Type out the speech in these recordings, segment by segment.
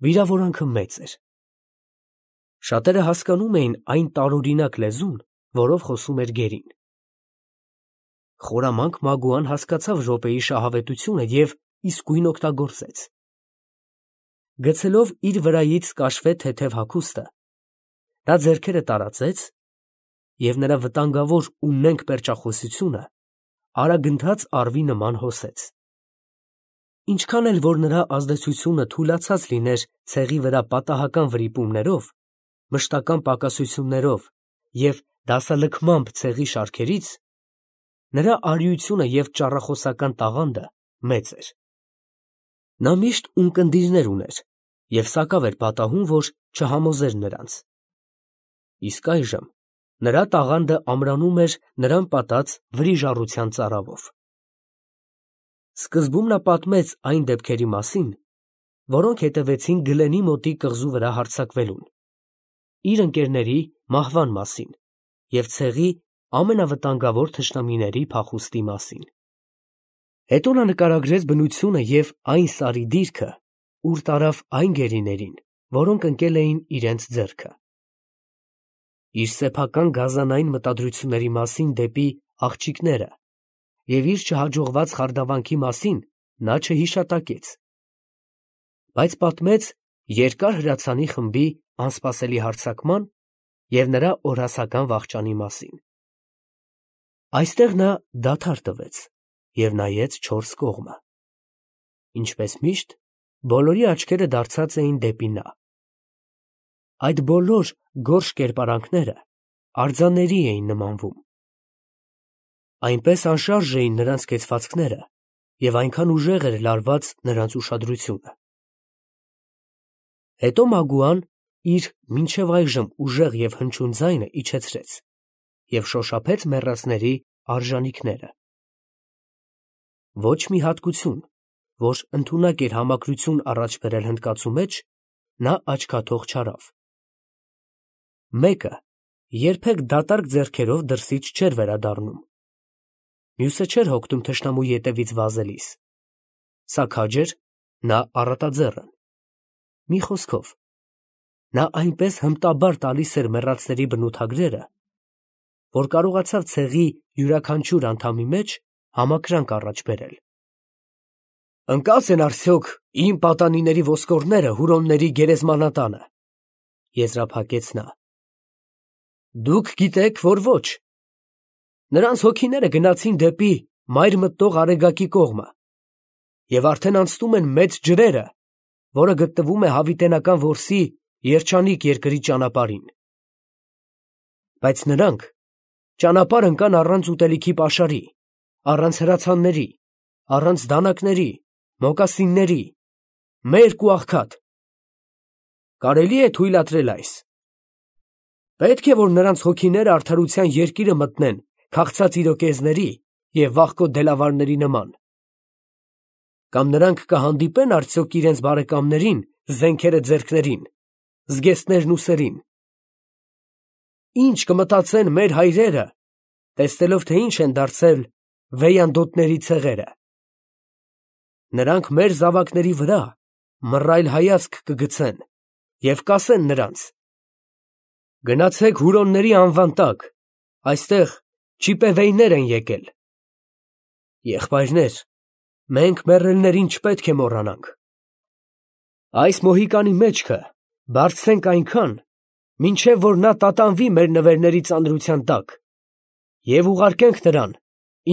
Վիրավորանքը մեծ էր։ Շատերը հասկանում էին այն տարօրինակ լեզուն, որով խոսում էր գերին։ Խորամանկ Մագուան հասկացավ րոպեի շահավետությունը և իսկույն օգտագործեց։ Գցելով իր վրայից կաշվե թեթև հագուստը, նա ձեռքերը տարածեց և նրա վտանգավոր ու նենգ պերճախոսությունը արագընթաց առվի նման հոսեց։ Ինչքան էլ որ նրա ազդեցությունը թուլացած լիներ ցեղի վրա պատահական վրիպումներով, մշտական պակասություններով և դասալքմամբ ցեղի շարքերից, նրա արիությունը և ճառախոսական տաղանդը մեծ էր։ Նա միշտ ունկնդիրներ ուներ և սակավ էր պատահում, որ չհամոզեր նրանց։ Իսկ այժմ նրա տաղանդը ամրանում էր նրան պատած վրիժառության ծարավով։ Սկզբում նա պատմեց այն դեպքերի մասին, որոնք հետևեցին Գլենի մոտի կղզու վրա հարձակվելուն, իր ընկերների մահվան մասին և ցեղի ամենավտանգավոր թշնամիների փախուստի մասին։ Հետո նա նկարագրեց բնությունը և այն սարի դիրքը, ուր տարավ այն գերիներին, որոնք ընկել էին իրենց ձեռքը։ Իր սեփական գազանային մտադրությունների մասին դեպի աղջիկները և իր չհաջողված խարդավանքի մասին նա չհիշատակեց, բայց պատմեց երկար հրացանի խմբի անսպասելի հարձակման և նրա օրհասական վախճանի մասին։ Այստեղ նա դադար տվեց և նայեց չորս կողմը։ Ինչպես միշտ, բոլորի աչքերը դարձած էին դեպի նա։ Այդ բոլոր գորշ կերպարանքները արձանների էին նմանվում։ Այնպես անշարժ էին նրանց կեցվածքները և այնքան ուժեղ էր լարված նրանց ուշադրությունը։ Հետո Մագուան իր մինչև այժմ ուժեղ և հնչյուն ձայնը իջեցրեց և շոշափեց մեռածների արժանիքները։ Ոչ մի հատկություն, որ ընդունակ էր համակրություն առաջ բերել հնդկացու մեջ, նա աչքաթող չարավ։ Մեկը երբեք դատարկ ձեռքերով դրսից չէր վերադառնում, մյուսը չէր հոգնում թշնամու ետևից վազելիս, սա քաջ էր, նա առատաձեռն։ Մի խոսքով, նա այնպես հմտաբար տալիս էր մեռածների բնութագրերը, որ կարողացավ ցեղի յուրաքանչյուր անդամի մեջ համակրանք առաջ բերել։ «Ընկա՞ծ են արդյոք իմ պատանիների ոսկորները Հուրոնների գերեզմանատանը», եզրափակեց նա։ «Դուք գիտեք, որ ոչ. նրանց հոգիները գնացին դեպի մայր մտնող Արեգակի կողմը և արդեն անցնում են Մեծ ջրերը, որը գտնվում է Հավիտենական որսի երջանիկ երկրի ճանապարհին։ Բայց նրանք ճանապարհ ընկան առանց ուտելիքի պաշարի, առանց հրացանների, առանց դանակների, մոկասինների, մերկ ու աղքատ։ Կարելի է թույլատրել այս։ Պետք է, որ նրանց հոգիները արդարության երկիրը մտնեն քաղցած իրոկեզների և վախկոտ դելավարների նման։ Կամ նրանք կհանդիպե՞ն արդյոք իրենց բարեկամներին, զենքերը ձեռքներին, զգեստներն ուսերին։ Ի՞նչ կմտածեն մեր հայրերը, տեսնելով, թե ինչ են դարձել վեյանդոտների ցեղերը։ Նրանք մեր զավակների վրա մռայլ հայացք կգցեն և կասեն նրանց. գնացեք Հուրոնների անվան տակ, այստեղ չիպեվեյներ են եկել։ Եղբայրներ, մենք մեռելներին չպետք է մոռանանք։ Այս մոհիկանի մեջքը բարձրենք այնքան, մինչև որ նա տատանվի մեր նվերների ծանրության տակ, և ուղարկենք նրան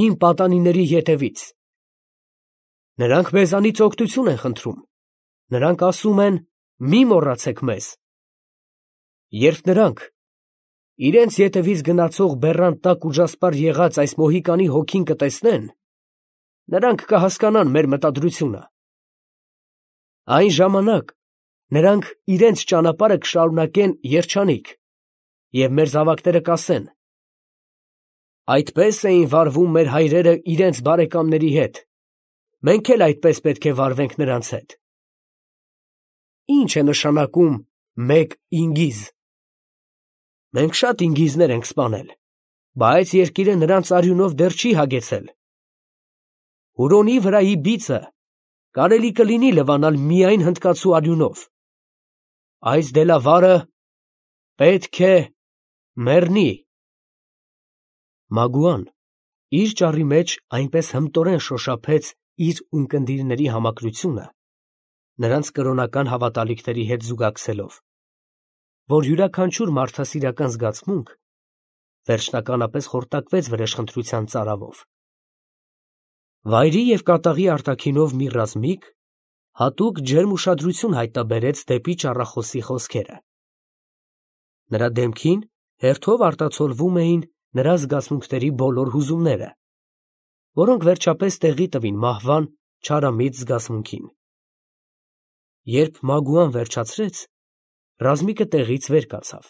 իմ պատանիների ետևից։ Նրանք մեզանից օգնություն են խնդրում, նրանք ասում են. մի մոռացեք մեզ։ Երբ նրանք իրենց ետևից գնացող բեռան տակ ուժասպառ եղած այս մոհիկանի հոգին կտեսնեն, նրանք կհասկանան մեր մտադրությունը։ Այն ժամանակ նրանք իրենց ճանապարհը կշարունակեն երջանիկ, և մեր զավակները կասեն. այդպես էին վարվում մեր հայրերը իրենց բարեկամների հետ, մենք էլ այդպես պետք է վարվենք նրանց հետ։ Ի՞նչ է նշանակում մեկ ինգիզ։ Մենք շատ ինգիզներ ենք սպանել, բայց երկիրը նրանց արյունով դեռ չի հագեցել։ Հուրոնի վրայի բիծը կարելի կլինի լվանալ միայն հնդկացու արյունով, այս դելավարը պետք է մեռնի։ Մագուան իր ճառի մեջ այնպես հմտորեն շոշափեց իր ունկնդիրների համակրությունը, նրանց կրոնական հավատալիքների հետ զուգակցելով, որ յուրաքանչյուր մարդասիրական զգացմունք վերջնականապես խորտակվեց վրեժխնդրության ծարավով։ Վայրի և կատաղի արտաքինով մի ռազմիկ հատուկ ջերմ ուշադրություն հայտնաբերեց դեպի ճառախոսի խոսքերը։ Նրա դեմքին հերթով արտացոլվում էին նրա զգացմունքների բոլոր հուզումները, որոնք վերջապես տեղի տվին մահվան չարամիտ զգացմունքին։ Երբ Մագուան վերջացրեց, ռազմիկը տեղից վեր կացավ,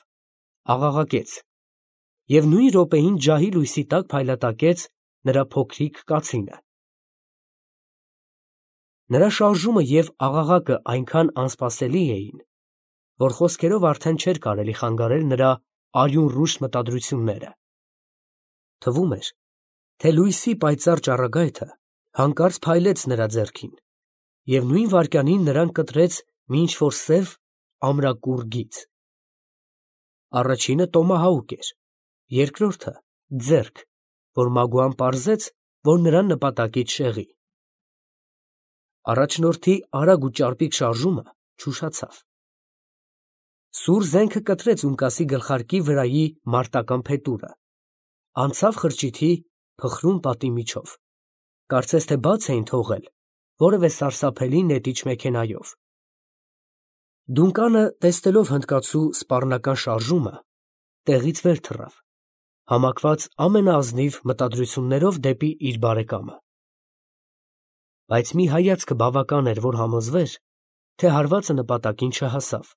աղաղակեց և նույն րոպեին ջահի լույսի տակ փայլատակեց նրա փոքրիկ կացինը։ Նրա շարժումը և աղաղակը այնքան անսպասելի էին, որ խոսքերով արդեն չէր կարելի խանգարել նրա արյունռուշ մտադրությունները։ Թվում էր, թե լույսի պայծառ ճառագայթը հանկարծ փայլեց նրա ձեռքին, և նույն վայրկյանին նրան կտրեց մի ինչ֊որ սև ամրակուռ գիծ։ Առաջինը տոմահաուկ էր, երկրորդը՝ ձեռք, որ Մագուան պարզեց, որ նրան նպատակից շեղի։ Առաջնորդի արագ ու ճարպիկ շարժումը չուշացավ։ Սուր զենքը կտրեց ունկասի գլխարկի վրայի մարտական փետուրը, անցավ խրճիթի փխրուն պատի միջով, կարծես թե բաց էին թողել որևէ սարսափելի նետիչ մեքենայով։ Դունկանը, տեսնելով հնդկացու սպառնական շարժումը, տեղից վեր թռավ, համակված ամենաազնիվ մտադրություններով դեպի իր բարեկամը։ Բայց մի հայացքը բավական էր, որ համոզվեր, թե հարվածը նպատակին չհասավ,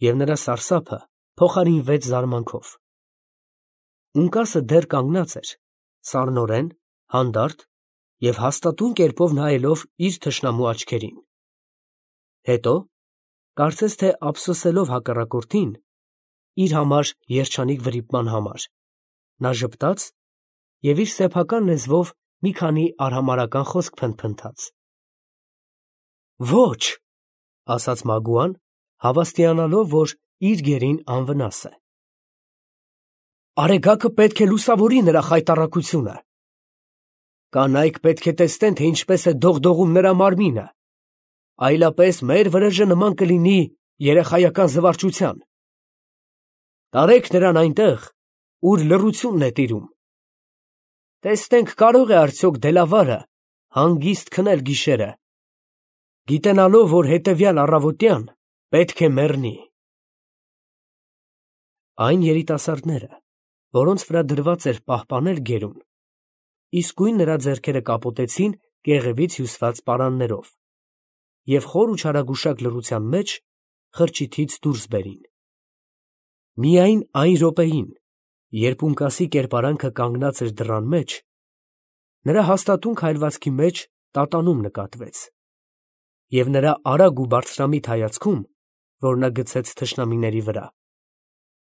և նրա սարսափը փոխարինվեց զարմանքով։ Ունկասը դեռ կանգնած էր, սառնորեն, հանդարտ և հաստատուն կերպով նայելով իր թշնամու աչքերին։ Հետո, կարծես թե ափսոսելով հակառակորդին, իր համար երջանիկ վրիպման համար, նա ժպտաց և իր սեփական լեզվով մի քանի արհամարհական խոսք փնթփնթաց։ «Ոչ», ֊ ասաց Մագուան, հավաստիանալով, որ իր գերին անվնաս է։ «Արեգակը պետք է լուսավորի նրա խայտառակությունը։ Կանայք պետք է տեսնեն, թե ինչպես է դողդողում նրա մարմինը, այլապես մեր վրեժը նման կլինի երեխայական զվարճության։ Տարեք նրան այնտեղ, ուր լռությունն է տիրում։ Տեսնենք կարող է արդյոք դելավարը հանգիստ քնել գիշերը, գիտենալով, որ հետևյալ առավոտյան պետք է մեռնի»։ Այն երիտասարդները, որոնց վրա դրված էր պահպանել գերուն, իսկույն նրա ձեռքերը կապոտեցին կեղևից հյուսված պարաններով և խոր ու չարագուշակ լռության մեջ խրճիթից դուրս բերին։ Միայն այն րոպեին, երբ ունկասի կերպարանքը կանգնած էր դռան մեջ, նրա հաստատուն քայլվածքի մեջ տատանում նկատվեց, և նրա արագ ու բարձրամիտ հայացքում, որ նա գցեց թշնամիների վրա,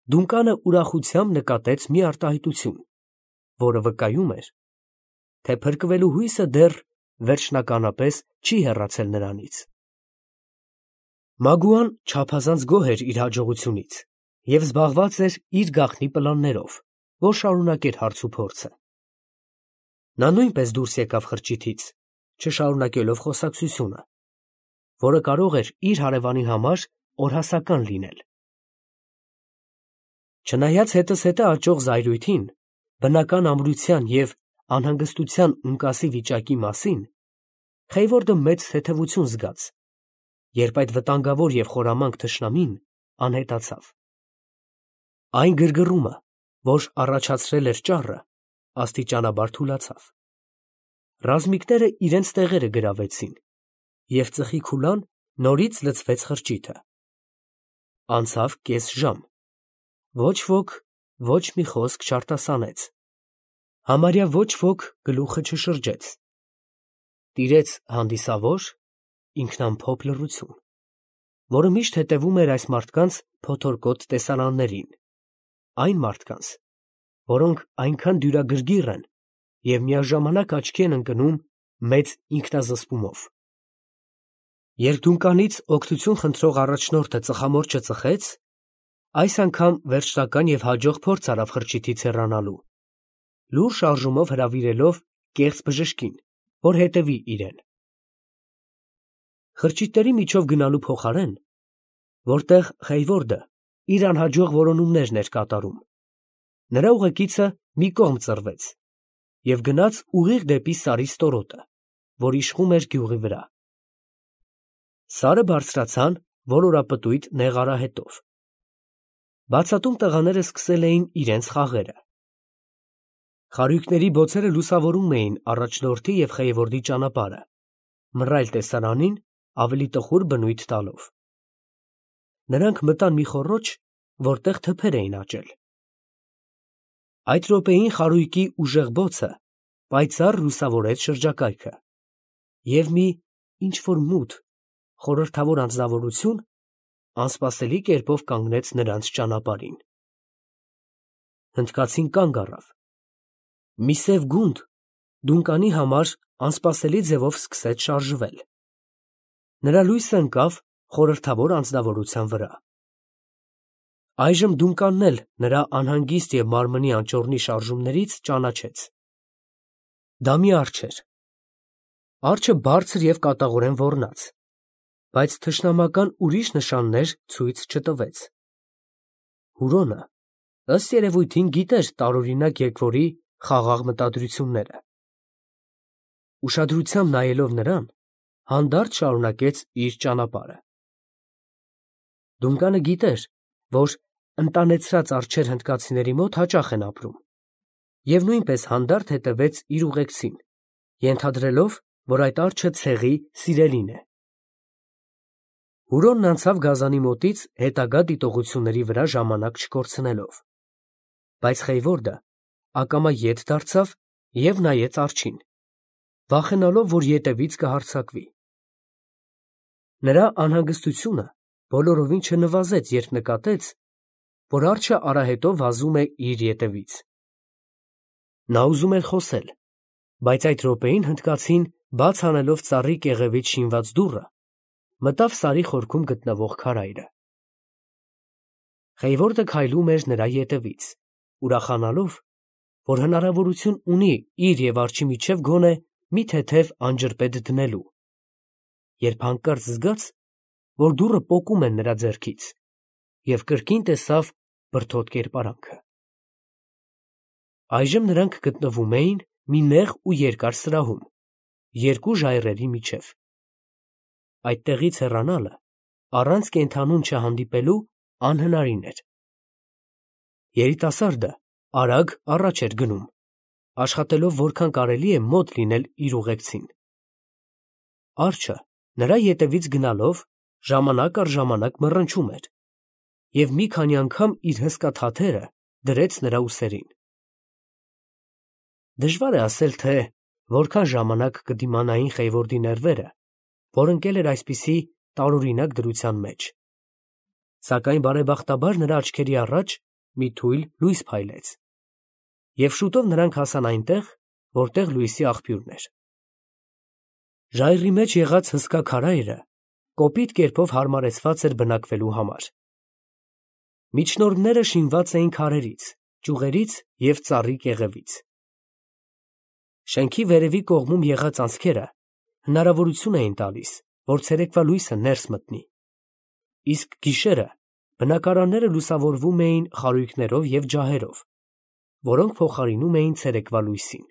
Դունկանը ուրախությամբ նկատեց մի արտահայտություն, որը վկայում էր, թե փրկվելու հույսը դեռ վերջնականապես չի հեռացել նրանից։ Մագուան չափազանց գոհ էր իր հաջողությունից և զբաղված էր իր գաղտնի պլաններով, որ շարունակեր հարց ու փորձը։ Նա նույնպես դուրս եկավ խրճիթից, չշարունակելով խոսակցությունը, որը կարող էր իր հարևանի համար օրհասական լինել։ Չնայած հետզհետե աճող զայրույթին, բնական ամրության և անհանգստության ունկասի վիճակի մասին, Խեյվորդը մեծ թեթևություն զգաց, երբ այդ վտանգավոր և խորամանկ թշնամին անհետացավ։ Այն գրգռումը, որ առաջացրել էր ճառը, աստիճանաբար թուլացավ։ Ռազմիկները իրենց տեղերը գրավեցին, և ծխի քուլան նորից լցվեց խրճիթը։ Անցավ կես ժամ, ոչ ոք ոչ մի խոսք չարտասանեց, համարյա ոչ ոք գլուխը չշրջեց։ Տիրեց հանդիսավոր, ինքնամփոփ լռություն, որը միշտ հետևում էր այս մարդկանց փոթորկոտ տեսարաններին, այն մարդկանց, որոնք այնքան դյուրագրգիռ են և միաժամանակ աչքի են ընկնում մեծ ինքնազսպումով։ Երկդունկանից օգնություն խնդրող առաջնորդը ծխամորճը ծխեց, այս անգամ վերջնական և հաջող փորձ արավ խրճիթից հեռանալու, լուռ շարժումով հրավիրելով կեղծ բժշկին, որ հետևի իրեն։ Խրճիթների միջով գնալու փոխարեն, որտեղ Խեյվորդը իր անհաջող որոնումներն էր կատարում, նրա ուղեկիցը մի կողմ ծռվեց և գնաց ուղիղ դեպի Սարի ստորոտը, որ իշխում էր գյուղի վրա։ Սարը բարձրացան ոլորապտույտ նեղ արահետով։ Բացատում տղաները սկսել էին իրենց խաղերը։ Խարույկների բոցերը լուսավորում էին առաջնորդի և Խեյվորդի ճանապարհը, մռայլ տեսարանին ավելի տխուր բնույթ տալով։ Նրանք մտան մի խոռոչ, որտեղ թփեր էին աճել։ Այդ րոպեին խարույկի ուժեղ բոցը պայծառ լուսավորեց շրջակայքը, և մի ինչ-որ մութ, խորհրդավոր անձնավորություն անսպասելի կերպով կանգնեց նրանց ճանապարհին։ Հնդկացին կանգ առավ։ Մի սև գունդ դունկանի համար անսպասելի ձևով սկսեց շարժվել։ Նրա լույսը ընկավ խորհրդավոր անձնավորության վրա։ Այժմ դունկանն էլ նրա անհանգիստ և մարմնի անճոռնի շարժումներից ճանաչեց։ Դա մի արջ էր։ Արջը բարձր և կատաղորեն ոռնաց, բայց թշնամական ուրիշ նշաններ ցույց չտվեց։ Հուրոնը, ըստ երևույթին, գիտեր տարօրինակ երկվորի խաղաղ մտադրությունները։ Ուշադրությամբ նայելով նրան, հանդարտ շարունակեց իր ճանապարհը։ Դունկանը գիտեր, որ ընտանեցրած արջեր հնդկացիների մոտ հաճախ են ապրում, և նույնպես հանդարտ հետևեց իր ուղեկցին, ենթադրելով, որ այդ արջը ցեղի սիրելին է։ Հուրոնն անցավ գազանի մոտից հետագա դիտողությունների վրա ժամանակ չկորցնելով, բայց Խեյվորդը ակամա ետ դարձավ և նայեց արջին, վախենալով, որ ետևից կհարձակվի։ Նրա անհանգստությունը բոլորովին չնվազեց, երբ նկատեց, որ արջը արահետով վազում է իր ետևից։ Նա ուզում էր խոսել, բայց այդ րոպեին հնդկացին, բաց անելով ծառի կեղևից շինված դուռը, մտավ Սարի խորքում գտնվող քարայրը։ Խեյվորդը քայլում էր նրա ետևից, ուրախանալով, որ հնարավորություն ունի իր և արջի միջև գոնե մի թեթև անջրպետ դնելու, երբ հանկարծ զգաց, որ դուռը պոկում են նրա ձեռքից, և կրկին տեսավ բրդոտ կերպարանքը։ Այժմ նրանք գտնվում էին մի նեղ ու երկար սրահում, երկու ժայռերի միջև։ Այդտեղից հեռանալը, առանց կենդանուն չհանդիպելու, անհնարին էր։ Երիտասարդը արագ առաջ էր գնում, աշխատելով որքան կարելի է մոտ լինել իր ուղեկցին։ Արջը նրա ետևից գնալով ժամանակ առ ժամանակ մռնչում էր և մի քանի անգամ իր հսկա թաթերը դրեց նրա ուսերին։ Դժվար է ասել, թե որքան ժամանակ կդիմանային Խեյվորդի ներվերը, որ ընկել էր այսպիսի տարօրինակ դրության մեջ, սակայն բարեբախտաբար նրա աչքերի առաջ մի թույլ լույս փայլեց, և շուտով նրանք հասան այնտեղ, որտեղ լույսի աղբյուրն էր։ Ժայռի մեջ եղած հսկա քարայրը կոպիտ կերպով հարմարեցված էր բնակվելու համար։ Միջնորդները շինված էին քարերից, ճյուղերից և ծառի կեղևից։ Շենքի վերևի կողմում եղած անցքերը հնարավորություն էին տալիս, որ ցերեկվա լույսը ներս մտնի, իսկ գիշերը բնակարանները լուսավորվում էին խարույկներով և ջահերով, որոնք փոխարինում էին ցերեկվա լույսին։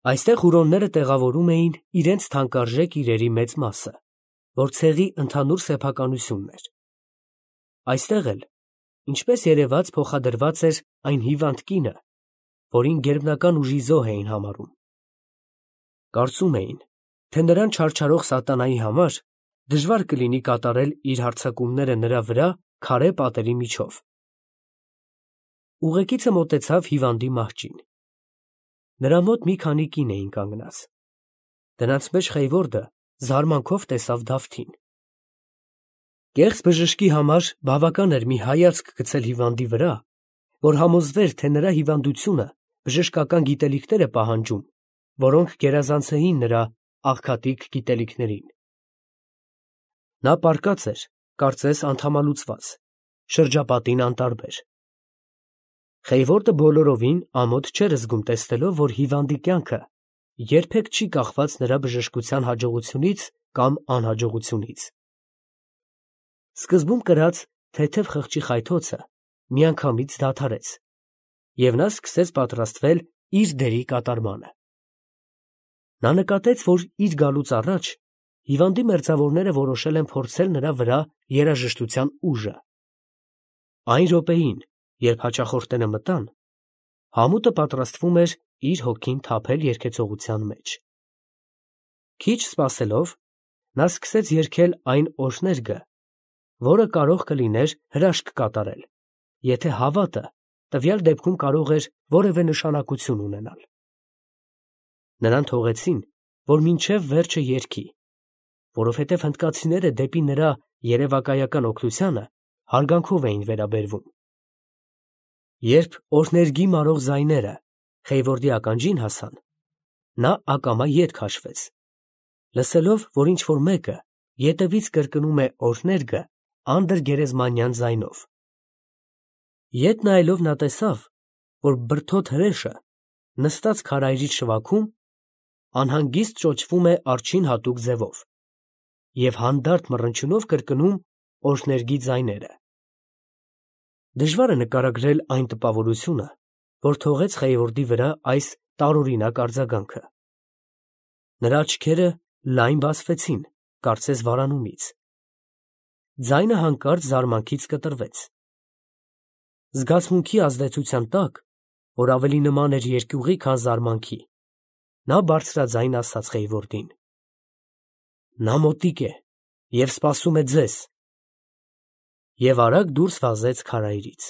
Այստեղ հուրոնները տեղավորում էին իրենց թանկարժեք իրերի մեծ մասը, որ ցեղի ընդհանուր սեփականությունն էր։ Այստեղ էլ, ինչպես երևաց, փոխադրված էր այն հիվանդ կինը, որին գերբնական ուժի զոհ էին համարում։ Կարծում էին, թե նրան չարչարող սատանայի համար դժվար կլինի կատարել իր հարձակումները նրա վրա քարե պատերի միջով։ Ուղեկիցը մոտեցավ հիվանդի մահճին։ Նրա մոտ մի քանի կին էին կանգնած։ Դրանց մեջ Խեյվորդը զարմանքով տեսավ Դավթին։ Կեղծ բժշկի համար բավական էր մի հայացք գցել հիվանդի վրա, որ համոզվեր, թե նրա հիվանդությունը բժշկական գիտելիքներ է պահանջում, որոնք գերազանց էին նրա աղքատիկ գիտելիքներին։ Նա պառկած էր, կարծես անդամալուծված, շրջապատին անտարբեր։ Խեյվորդը բոլորովին ամոթ չէր զգում տեսնելով, որ հիվանդի կյանքը երբեք չի կախված նրա բժշկության հաջողությունից կամ անհաջողությունից։ Սկզբում կրած թեթև խղճի խայթոցը միանգամից դադարեց, և նա սկսեց պատրաստվել իր դերի կատարմանը։ Նա նկատեց, որ իր գալուց առաջ հիվանդի մերձավորները որոշել են փորձել նրա վրա երաժշտության ուժը։ Այն րոպեին, երբ հաճախորդները մտան, համուտը պատրաստվում էր իր հոգին թափել երգեցողության մեջ։ Քիչ սպասելով, նա սկսեց երգել այն օրհներգը, որը կարող կլիներ հրաշք կատարել, եթե հավատը տվյալ դեպքում կարող էր որևէ նշանակություն ունենալ։ Նրան թողեցին, որ մինչև վերջը երգի, որովհետև հնդկացիները դեպի նրա երևակայական օգնությանը հարգանքով էին վերաբերվում։ Երբ օրհներգի մարող ձայները Խեյվորդի ականջին հասան, նա ակամա ետ քաշվեց, լսելով, որ ինչ֊որ մեկը ետևից կրկնում է օրհներգը անդր գերեզմանյան ձայնով։ Ետ նայելով նա տեսավ, որ բրդոտ հրեշը, նստած քարայրից շվաքում, անհանգիստ ճոճվում է արջին հատուկ ձևով և հանդարտ մռնչյունով կրկնում օրհներգի ձայները։ Դժվար է նկարագրել այն տպավորությունը, որ թողեց Խեյվորդի վրա այս տարօրինակ արձագանքը։ Նրա աչքերը լայն բացվեցին, կարծես վարանումից։ Ձայնը հանկարծ զարմանքից կտրվեց։ Զգացմունքի ազդեցության տակ, որ ավելի նման էր երկյուղի, քան զարմանքի, նա բարձրաձայն ասաց Խեյվորդին. «Նա մոտիկ է և սպասում է ձեզ», և արագ դուրս վազեց քարայրից։